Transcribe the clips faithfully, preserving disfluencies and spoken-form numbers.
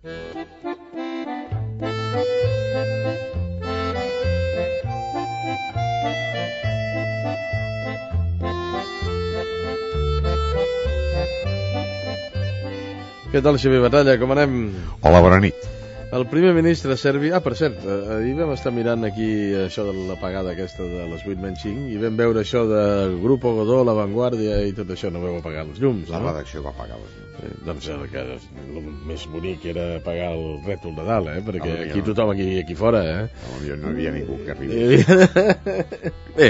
Què tal, Xavier Batalla? Com anem? Hola, bona nit. El primer ministre serbi... Ah, per cert, ahir vam estar mirant aquí això de l'apagada aquesta de les vuit menys cinc i vam veure això del Grupo Godó, La Vanguardia i tot això. No vau apagar els llums, La no? redacció va apagar els llums. Eh, doncs el, que, el més bonic era apagar el rètol de dalt, eh? Perquè Ah, aquí no. tothom aquí, aquí fora, eh? Potser no hi havia ningú que arribés. Bé,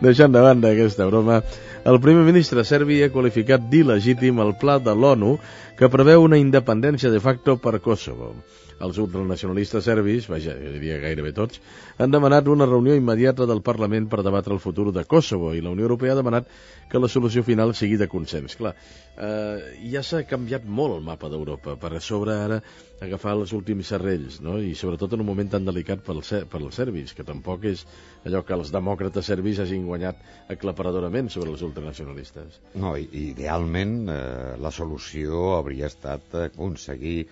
deixant de banda aquesta broma, el primer ministre serbi ha qualificat d'il·legítim el pla de l'ONU que preveu una independència de facto per Kosovo. Els ultranacionalistes serbis, vaja, jo diria gairebé tots, han demanat una reunió immediata del Parlament per debatre el futur de Kosovo i la Unió Europea ha demanat que la solució final sigui de consens. Clar, eh, ja s'ha canviat molt el mapa d'Europa per a sobre ara agafar els últims serrells, no? I sobretot en un moment tan delicat per als, per als serbis, que tampoc és allò que els demòcrates serbis hagin guanyat aclaparadorament sobre els ultranacionalistes. No, i, idealment eh, la solució hauria estat aconseguir,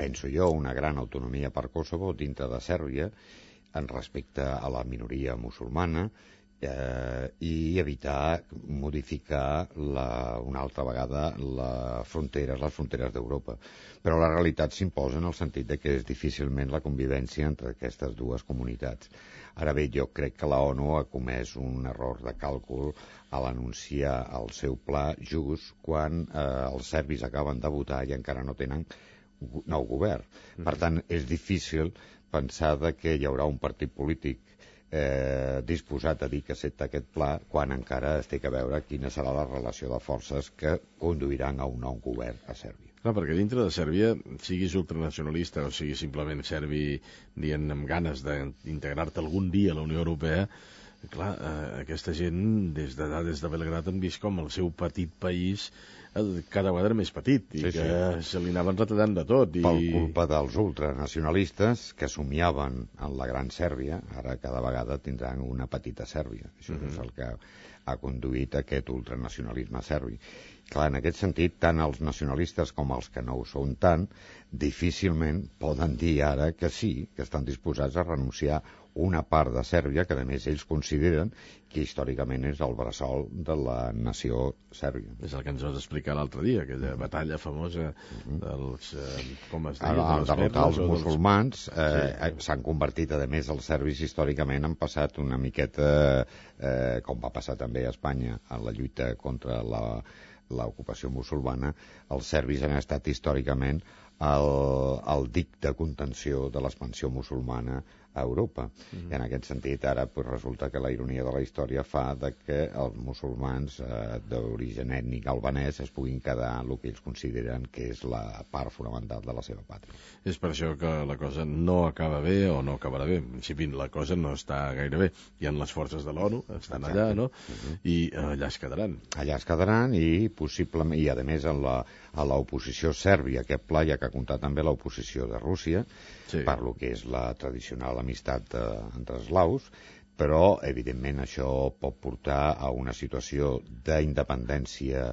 penso jo, una gran autonomia per Kosovo dintre de Sèrbia en respecte a la minoria musulmana eh, i evitar modificar la, una altra vegada les fronteres, les fronteres d'Europa. Però la realitat s'imposa en el sentit de que és difícilment la convivència entre aquestes dues comunitats. Ara bé, jo crec que la ONU ha comès un error de càlcul a l'anunciar el seu pla just quan eh, els serbis acaben de votar i encara no tenen nou govern. Per tant, és difícil pensar de que hi haurà un partit polític eh, disposat a dir que accepta aquest pla quan encara es té que veure quina serà la relació de forces que conduiran a un nou govern a Sèrbia. Clar, perquè dintre de Sèrbia, siguis ultranacionalista o siguis simplement serbi dient amb ganes d'integrar-te algun dia a la Unió Europea, clar, eh, aquesta gent des de, des de Belgrad han vist com el seu petit país cada vegada més petit i sí, que sí. Se li anaven retallant de tot. I... Per culpa dels ultranacionalistes que somiaven en la gran Sèrbia, ara cada vegada tindran una petita Sèrbia. Això uh-huh. és el que ha conduït a aquest ultranacionalisme serbi. Clar, en aquest sentit, tant els nacionalistes com els que no ho són tant, difícilment poden dir ara que sí, que estan disposats a renunciar una part de Sèrbia, que a més ells consideren que històricament és el bressol de la nació sèrbia. És el que ens vas explicar l'altre dia, aquella batalla famosa dels, eh, com es deia, Al derrotar els musulmans, dels... eh, sí. s'han convertit, a més, els serbis històricament han passat una miqueta, eh, com va passar també a Espanya, en la lluita contra la l'ocupació musulmana, els serbis han estat històricament el, el dic de contenció de l'expansió musulmana a Europa. Mm-hmm. I en aquest sentit, ara pues, resulta que la ironia de la història fa de que els musulmans eh, d'origen ètnic albanès es puguin quedar en el que ells consideren que és la part fonamental de la seva pàtria. És per això que la cosa no acaba bé o no acabarà bé. En principi, la cosa no està gaire bé. Hi ha les forces de l'ONU, estan Exacte. allà, no? Mm-hmm. I allà es quedaran. Allà es quedaran i possiblement, i a més en la, a l'oposició sèrbia, aquest pla ja que ha comptat també l'oposició de Rússia, sí. per lo que és la tradicional amistat eh, entre eslaus, però evidentment això pot portar a una situació d'independència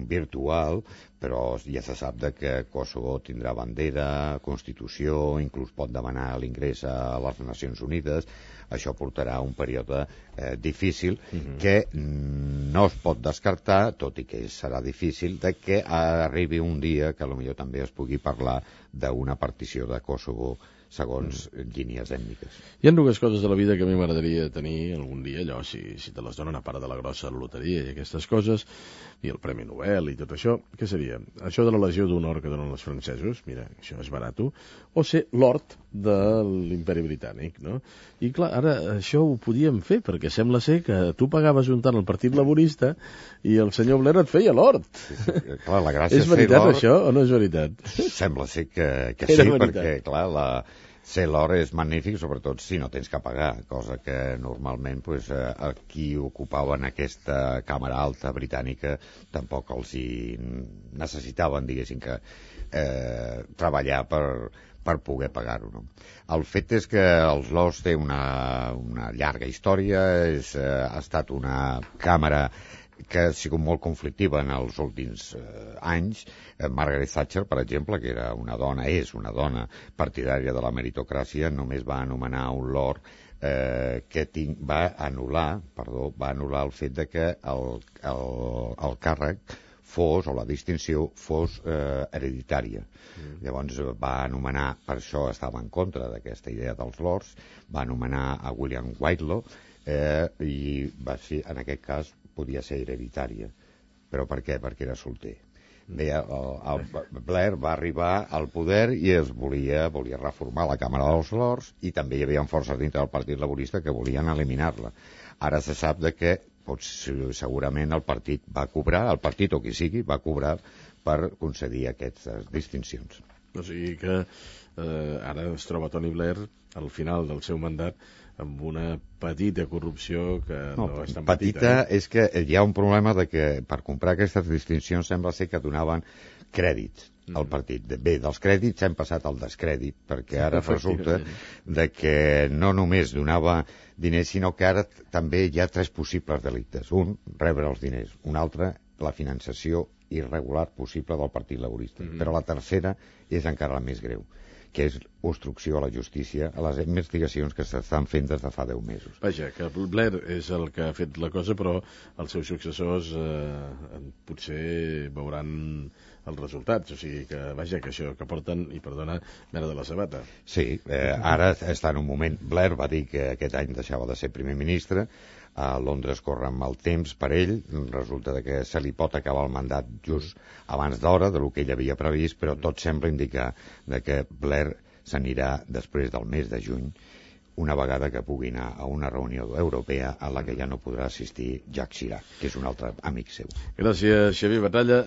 virtual, però ja se sap de que Kosovo tindrà bandera, constitució, inclús pot demanar l'ingrés a les Nacions Unides. Això portarà a un període eh, difícil uh-huh. que no es pot descartar, tot i que serà difícil, de que arribi un dia que potser també es pugui parlar d'una partició de Kosovo segons mm. línies ètniques. Hi ha dues coses de la vida que a mi m'agradaria tenir algun dia, allò, si, si te les donen a part de la grossa de la loteria i aquestes coses, i el Premi Nobel i tot això, què seria? Això de la Legió d'Honor que donen els francesos, mira, això és barat, o ser l'Hort de l'Imperi Britànic, no? I clar, ara això ho podíem fer, perquè sembla ser que tu pagaves un tant al Partit Laborista i el senyor Blair et feia l'Hort. Sí, sí, clar, la gràcia és veritat això o no és veritat? Sembla ser que, que sí, veritat. Perquè clar, la ser l'or és magnífic, sobretot si no tens que pagar, cosa que normalment pues, eh, qui ocupaven aquesta càmera alta britànica tampoc els hi necessitaven, diguéssim, que eh, treballar per, per poder pagar-ho. No? El fet és que els Lors té una, una llarga història, és, eh, ha estat una càmera que ha sigut molt conflictiva en els últims eh, anys. Eh, Margaret Thatcher, per exemple, que era una dona, és una dona partidària de la meritocràcia, només va anomenar un lord eh, que tinc, va anul·lar, perdó, va anul·lar el fet de que el, el, el càrrec fos, o la distinció fos eh, hereditària. Mm. Llavors va anomenar, per això estava en contra d'aquesta idea dels lords, va anomenar a William Whitelaw, eh, i va ser, en aquest cas podia ser hereditària. Però per què? Perquè era solter. Bé, el, el Blair va arribar al poder i es volia, volia reformar la Càmera dels Lords, i també hi havia forces dintre del Partit Laborista que volien eliminar-la. Ara se sap de que pots, segurament el partit va cobrar, el partit o qui sigui, va cobrar per concedir aquestes distincions. O sigui que eh, ara es troba Tony Blair al final del seu mandat amb una petita corrupció que no, no és tan petita. Petita eh? És que hi ha un problema de que per comprar aquestes distincions sembla ser que donaven crèdits mm. al partit. Bé, dels crèdits hem passat al descrèdit, perquè ara resulta de que no només donava diners, sinó que ara també hi ha tres possibles delictes. Un, rebre els diners. Un altre, la finançació irregular possible del Partit Laborista. Mm. Però la tercera és encara la més greu, que és obstrucció a la justícia, a les investigacions que s'estan fent des de fa deu mesos. Vaja, que Blair és el que ha fet la cosa, però els seus successors eh, potser veuran els resultats, o sigui que, vaja, que això que porten, i perdona, mera de la sabata. Sí, eh, ara està en un moment. Blair va dir que aquest any deixava de ser primer ministre, a Londres corre amb el temps per ell, resulta que se li pot acabar el mandat just abans d'hora de lo que ell havia previst, però tot sembla indicar de que Blair s'anirà després del mes de juny, una vegada que pugui anar a una reunió europea a la que ja no podrà assistir Jacques Chirac, que és un altre amic seu. Gràcies, Xavier Batalla.